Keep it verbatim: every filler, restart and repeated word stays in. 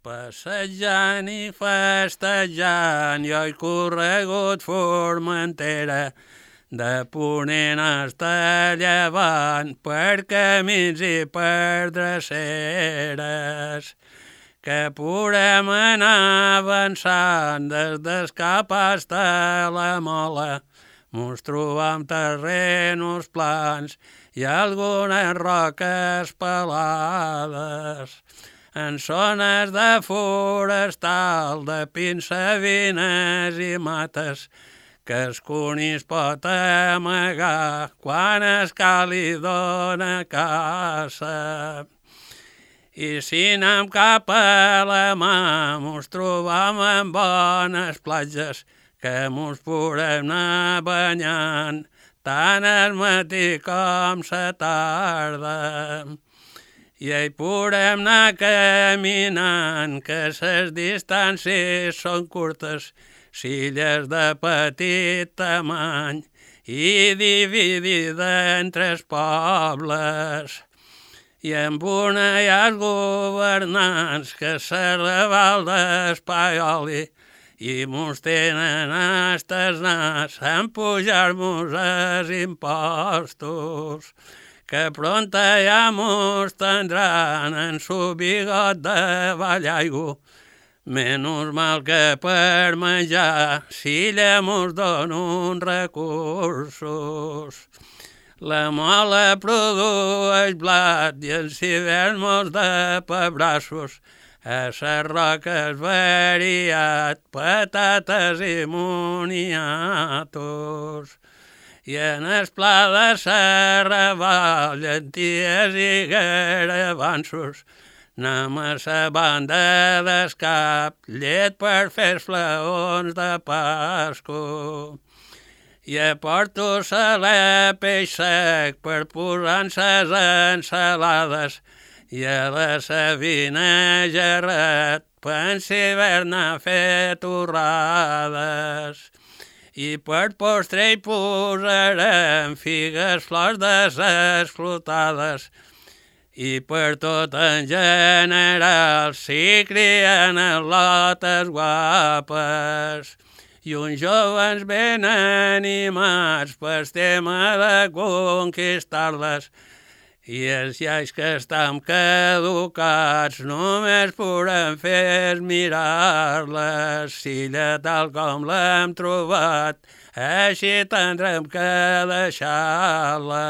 Passejant i festejant, jo he corregut Formentera, de ponent hasta llevant, per camins i per dreceres, que podem anar avançant des d'Escap hasta la Mola. Mos trobam terrenos plans i algunes roques pelades, en zones de forestal, de pins, savines i mates, que es conís pot amagar quan es cali dona caça. I si anem cap a la mà, mos trobam en bones platges, que mos podem anar banyant, tant al matí com la tarda. I hi podem anar caminant, que les distàncies són curtes, illes de petit tamany i dividida en tres pobles. I amb una hi ha els governants, que se Raval d'Espaioli, i mos tenen hasta el nas en pujar-mos els impostos, que pronta ja mos tindran en su bigot de ballaigo. Menys mal que per menjar, si ella mos dona uns recursos. La mola produeix blat i els hiverns mos de pebrassos, a les roques variat, patates i moniatos. I en el pla de Serraval, llenties i garavansos, anem a la banda d'Escap, llet per fer flaons de Pasco. I aporto saler peix sec per posar en ses ensalades, i a la Sabina gerret, pensi haver-ne fet torrades. I per postre hi posarem figues, flors desesclotades, i per tot en general s'hi crien al·lotes guapes. I uns jovens ben animats pel tema de conquistar-les, i els iaios que estan caducats només podem fer mirar-les. Si ella tal com l'hem trobat, així tindrem que deixar-la.